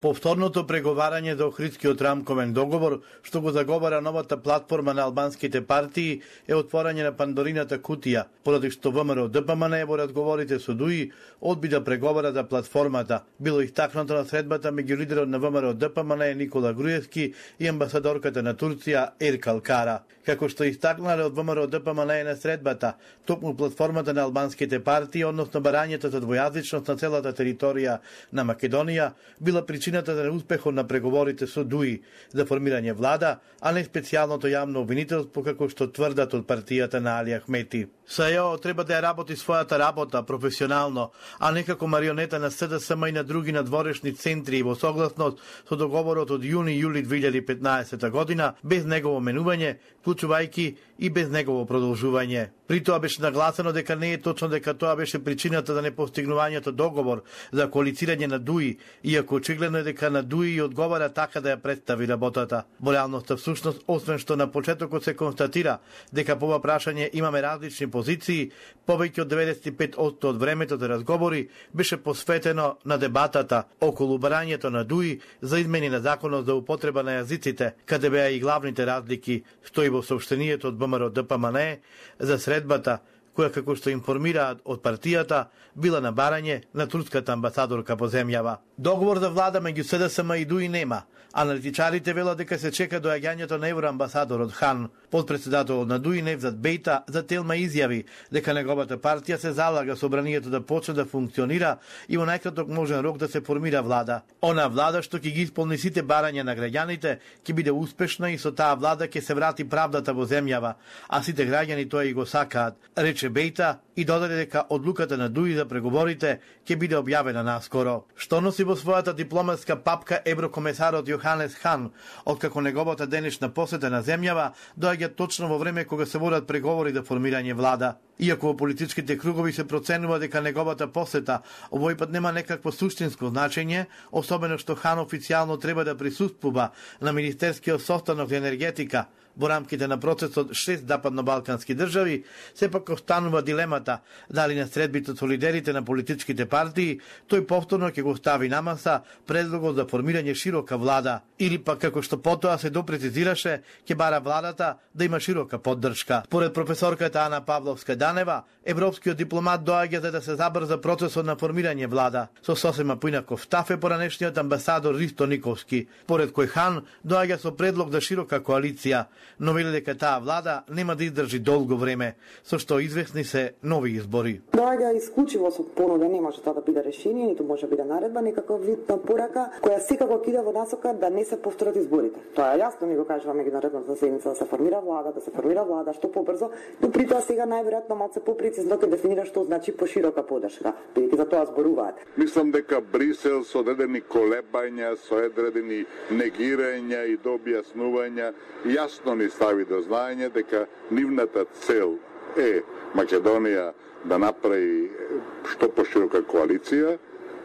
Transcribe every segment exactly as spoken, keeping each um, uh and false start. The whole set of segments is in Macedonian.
Повторното преговарање за Охридскиот рамковен договор, што го заговара новата платформа на албанските партии, е отворање на Пандорината кутија, поради што ВМРО Д П М Н во разговорите со ДУИ одби да преговара за платформата. Било истакнато на средбата меѓу лидерот на ВМРО Д П М Н Никола Груевски и амбасадорката на Турција Еркал Кара. Како што истакнале од ВМРО Д П М Н на средбата, токму платформата на албанските партии, односно барањето за двојазичност на целата територија на Македонија, била причината за неуспехот на преговорите со ДУИ за формирање влада, а не специјалното јавно обвинителство како што тврдат од партијата на Али Ахмети. САЈО треба да ја работи својата работа професионално, а не како марионета на С Д С М и на други надворешни центри и во согласност со договорот од јуни-јули две илјади и петнаесета година, без негово менување, вклучувајќи и без негово продолжување. При тоа беше нагласено дека не е точно дека тоа беше причината за непостигнувањето договор за коалицирање на ДУИ, иако очигледно е дека на ДУИ одговара така да ја представи работата. Во реалноста всушност, освен што на почетокот се констатира дека по ова прашање имаме различни позиции, повеќе од деветдесет и пет одсто од времето за разговори беше посветено на дебатата околу барањето на ДУИ за измени на законот за употреба на јазиците, каде беа и главните разлики, стои во соопштенијето од ВМРО Д П М Н за средбата, која, како што информираат од партијата, била на барање на турската амбасадорка по земјава. Договор за влада меѓу С Д С М и ДУИ нема. Аналитичарите велат дека се чека доаѓањето на евроамбасадорот Хан. Подпредседателот на ДУИ Невзат Бејта за Телма изјави дека неговата партија се залага собранието да почне да функционира и во најкраток можен рок да се формира влада. Она влада што ќе ги исполни сите барања на граѓаните ќе биде успешна и со таа влада ќе се врати правдата во земјава, а сите граѓани тоа и го сакаат, рече Бејта и додаде дека одлуката на ДУИ за преговорите ќе биде објавена наскоро. Што носи во својата дипломатска папка еврокомесарот Јоханес Хан, откако неговата денешна посета на земјава доаѓа точно во време кога се водат преговори за формирање влада. Иако во политичките кругови се проценува дека неговата посета овој пат нема некакво суштинско значење, особено што Хан официјално треба да присуствува на министерскиот состанок за енергетика во рамките на процесот шест западно-балкански држави, сепак останува дилемата дали на средбите со лидерите на политичките партии тој повторно ќе го стави на маса предлогот за формирање широка влада, или пак како што потоа се допрецизираше, ќе бара владата да има широка поддршка. Според професорката Ана Павловска-Данева, европскиот дипломат доаѓа за да се забрза процесот на формирање влада. Со сосема поинаков став е поранешниот амбасадор Ристо Никовски, според кој Хан доаѓа со предлог за широка коалиција, но вели дека таа влада нема да издржи долго време, со што известни се нови избори. Доаѓа исклучиво со понуда, не може тоа да биде решение, ниту може да биде наредба, некаков вид на порака која секако иде во насока да не се повторат изборите. Тоа е јасно, ни го кажува меѓународната седница да се формира влада, да се формира влада што побрзо, но при тоа сега најверојатно малце попрецизно ќе дефинира што значи поширока поддршка, бидејќи за тоа зборуваат. Мислам дека Брисел со одредени колебања, со одредени негирања и до објаснувања јасно ни стави до знаење дека нивната цел е Македонија да направи што поширока коалиција,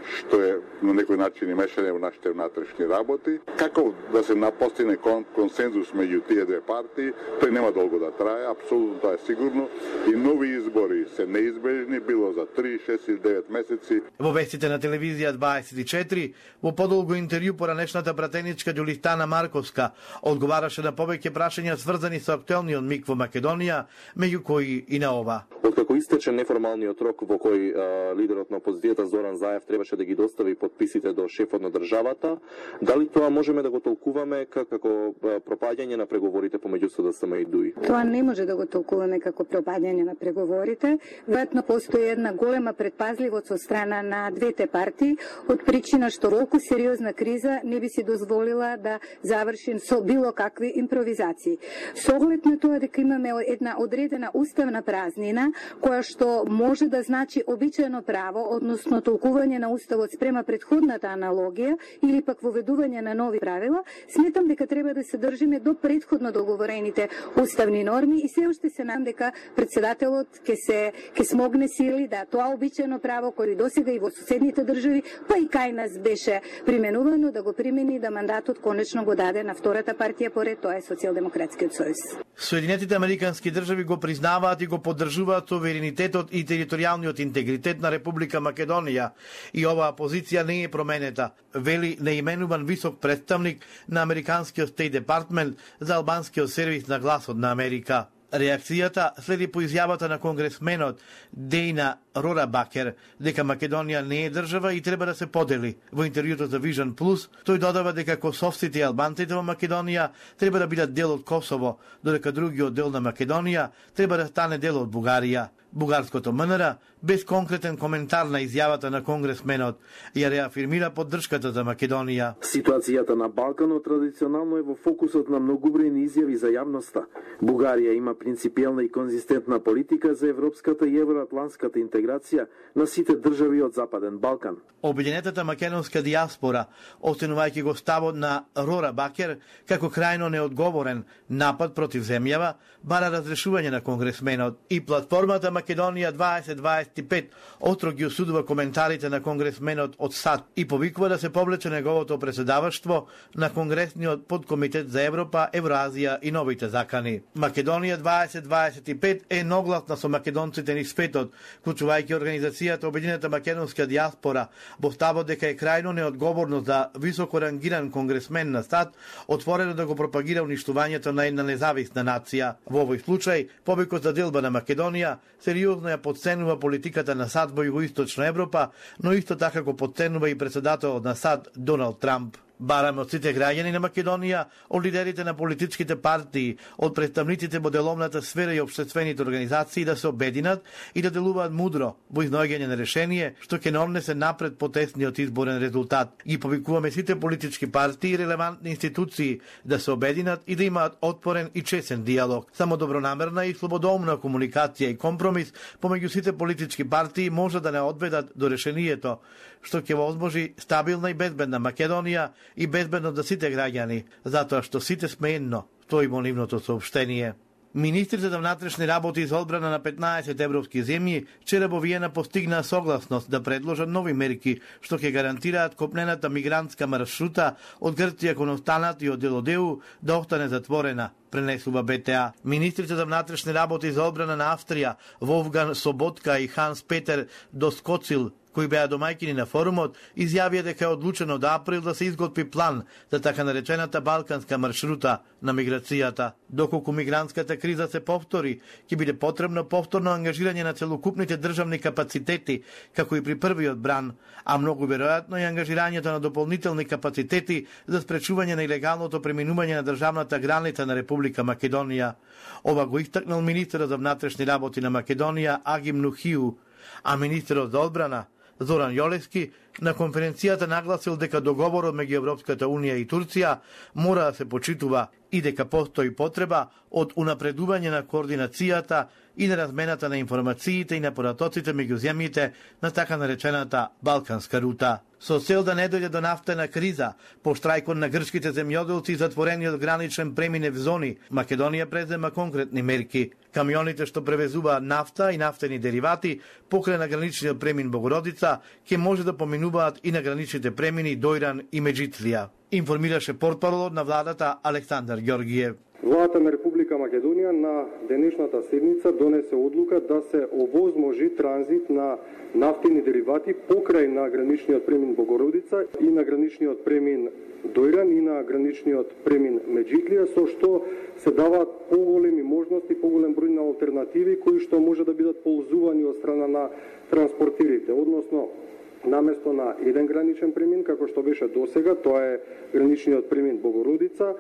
што е на некој начин и мешање во нашите внатрешни работи. Како да се постигне консензус меѓу тие две партии, тој нема долго да трае, апсолутно тоа е сигурно, и нови избори се неизбежни, било за три, шест или девет месеци. Во вестите на телевизија дваесет и четири, во подолго интервју поранешната пратеничка Ѓулистана Марковска одговараше на повеќе прашања сврзани со актуелниот миг во Македонија, меѓу кои и на ова. Откако истече неформалниот рок во кој а, лидерот на опозицијата Зоран Заев требаше да ги достави подписите до шефот на државата, дали тоа можеме да го толкуваме како пропаѓање на преговорите помеѓу С Д С М и ДУИ? Тоа не може да го толкуваме како пропаѓање на преговорите. Веројатно постои една голема предпазливост од страна на двете партии, од причина што толку сериозна криза не би си дозволила да заврши со било какви импровизации. Со оглед на тоа дека имаме една одредена уставна празнина, која што може да значи обичаено право, односно толкување на уставот спрема предходната аналогија или пак воведување на нови правила, сметам дека треба да се држиме до предходно договорените уставни норми и се уште се надам дека председателот ќе се ќе смогне сили да тоа обичаено право кој досега и во соседните држави, па и кај нас беше применувано, да го примени, да мандатот конечно го даде на втората партија поред, тоа е Социјалдемократскиот сојуз. Соединетите американски држави го признаваат и го поддржуваат суверенитетот и територијалниот интегритет на Република Македонија и оваа позиција не е променета, вели неименуван висок представник на Американскиот Стейт Департмент за албанскиот сервис на Гласот на Америка. Реакцијата следи по изјавата на конгресменот Дејна Рорабакер дека Македонија не е држава и треба да се подели. Во интервјуто за Vision Plus, тој додава дека косовците и албанците во Македонија треба да бидат дел од Косово, додека другиот дел на Македонија треба да стане дел од Бугарија. Бугарското МНР, без конкретен коментар на изјавата на конгресменот, ја реафирмира поддршката за Македонија. Ситуацијата на Балканот традиционално е во фокусот на многобројни изјави за јавноста. Бугарија има принципиелна и конзистентна политика за европската и евроатлантската интеграција на сите држави од Западен Балкан. Обединетата македонска диаспора, оценувајќи го ставот на Рора Бакер како крајно неодговорен напад против земјава, бара разрешување на конгресменот и платформата Македонија дваесет дваесет и пет остро ги осудува коментарите на конгресменот од САД и повикува да се повлече неговото председаваштво на Конгресниот подкомитет за Европа, Евроазија и новите закани. Македонија дваесет дваесет и пет е едногласна со македонците низ светот, вклучувајќи организацијата Обединета македонска диаспора, во ставот дека е крајно неодговорно за високо рангиран конгресмен на САД отворено да го пропагира уништувањето на една независна нација. Во овој случај, повикот за делба на Македонија сериозно ја подценува политиката на САД во Југоисточна Европа, но исто така го подценува и председателот на САД Доналд Трамп. Бараме од сите граѓани на Македонија, од лидерите на политичките партии, од представниците во деловната сфера и општествените организации да се обединат и да делуваат мудро во изнаоѓање на решение што ќе не однесе напред потесниот изборен резултат. Ги повикуваме сите политички партии и релевантни институции да се обединат и да имаат отворен и чесен диалог. Само добронамерна и слободоумна комуникација и компромис помеѓу сите политички партии може да не одведат до решението што ќе возможи стабилна и безбедна Македонија и безбедно за сите граѓани, затоа што сите сме едно, стои во нивното соопштение. Министрите за внатрешни работи и за одбрана на петнаесет европски земји вчера во Виена постигнаа согласност да предложат нови мерки што ќе гарантираат копнената мигрантска маршрута од Грција кон останат и од Делодеу да остане затворена, пренесува Б Т А. Министрите за внатрешни работи и за одбрана на Австрија Волфган Соботка и Ханс Петер Доскоцил, кои беа домајкини на форумот, изјавија дека е одлучено до април да се изготви план за така наречената балканска маршрута на миграцијата. Доколку мигрантската криза се повтори, ќе биде потребно повторно ангажирање на целокупните државни капацитети, како и при првиот бран, а многу веројатно и ангажирањето на дополнителни капацитети за спречување на илегалното преминување на државната граница на Република Македонија. Ова го истакнал министерот за внатрешни работи на Македонија Агим Нухиу, а министерот за одбрана Зоран Јолевски на конференцијата нагласил дека договорот меѓу Европската Унија и Турција мора да се почитува и дека постои потреба од унапредување на координацијата и на размената на информациите и на поратоците меѓу земјите на така наречената Балканска рута. Со цел да не дојде до нафтена криза, по штрајкот на грчките земјоделци и затворениот граничен преминев зони, Македонија презема конкретни мерки. Камионите што превезуваат нафта и нафтени деривати покрај на граничниот премин Богородица ќе може да поминуваат и на граничните премини Дојран и Меджицлија, информираше портпаролот на владата Александар Ѓоргиев. Владата на Република Македонија на денешната седница донесе одлука да се овозможи транзит на нафтени деривати покрај на граничниот премин Богородица и на граничниот премин Дојран и на граничниот премин Меджитлија, со што се даваат поголеми можности, поголем број на алтернативи кои што може да бидат ползувани од страна на транспортерите, односно наместо на еден граничен премин, како што беше досега, тоа е граничниот премин Богородица,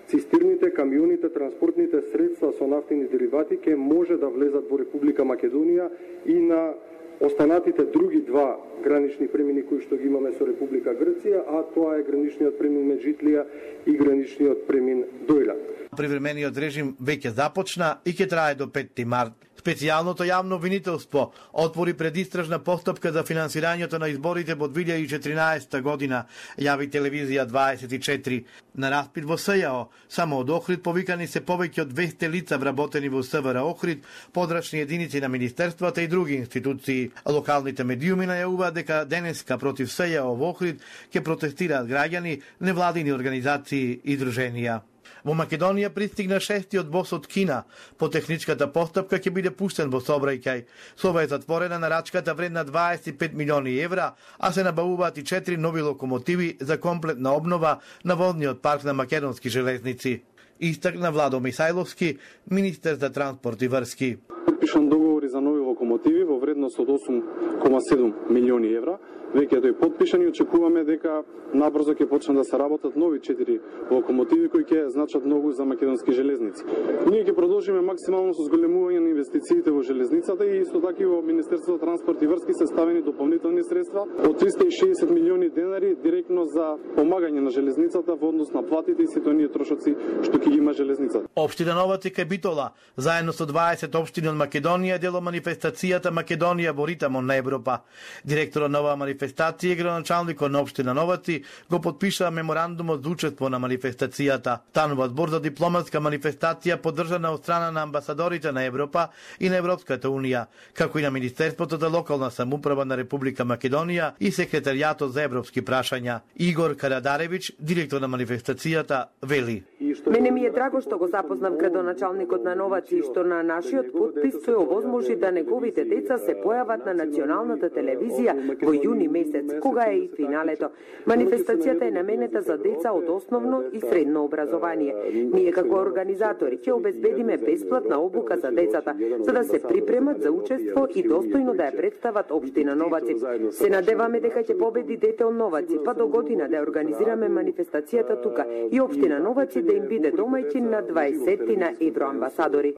цистерните, камионите, транспортните средства со нафтени деривати ќе може да влезат во Република Македонија и на останатите други два гранични премини кои што ги имаме со Република Грција, а тоа е граничниот премин Меджитлија и граничниот премин Дојран. Привремениот режим веќе започна и ќе трае до петти март. Специјалното јавно обвинителство отвори предистражна постапка за финансирањето на изборите во две илјади и четиринаесетта година, јави телевизија дваесет и четири. На распит во С Ј О, само од Охрид повикани се повеќе од двесте лица вработени во С В Р Охрид, подрачни единици на министерствата и други институции. Локалните медиуми најавуваат дека денеска против С Ј О во Охрид ќе протестираат граѓани, невладини организации и друженија. Во Македонија пристигна шестиот бос од Кина. По техничката постапка ќе биде пуштен во сообраќај. Со ова е затворена нарачката вредна дваесет и пет милиони евра, а се набавуваат и четири нови локомотиви за комплетна обнова на возниот парк на македонски железници. Истакна Владо Мисајловски, министер за транспорт и врски. Подпишан договори за нови локомотиви во вредност од осум кома седум милиони евра. Веќе тој подпишан и очекуваме дека набрзо ќе почнат да се работат нови четири локомотиви кои ќе значат многу за македонски железници. Ние ќе продолжиме максимално со зголемување на инвестициите во железницата и исто така и во Министерството за транспорт и врски се ставени дополнителни средства од триста и шеесет милиони денари директно за помагање на железницата во однос на платите и сите оние трошоци што ќе ги има железницата. Општина Новаци Битола, заедно со дваесет општини од Македонија, дел од манифестацијата Македонија во ритмот на Европа. Директорот на оваа манифестација и градоначалникот на општина Новаци го подпишаа меморандумот за учество на манифестацијата. Станува збор за дипломатска манифестација поддржана од страна на амбасадорите на Европа и на Европската унија, како и на Министерството за локална самоуправа на Република Македонија и Секретаријатот за европски прашања. Игор Карадаревич, директор на манифестацијата, вели: Мене ми е драго што го запознав градоначалникот на Новаци и што на нашиот подпис тој овозможи да неговите деца се појават на националната телевизија во јуни месец, кога е и финалето. Манифестацијата е наменета за деца од основно и средно образование. Ние како организатори ќе обезбедиме бесплатна обука за децата, за да се припремат за учество и достојно да ја представат општина Новаци. Се надеваме дека ќе победи дете од Новаци, па до година да ја организираме манифестацијата тука и општина Новаци да им биде домајчин на дваесетина евроамбасадори.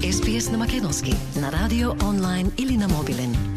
Ес Би Ес на македонски, на радио, онлайн или на мобилен.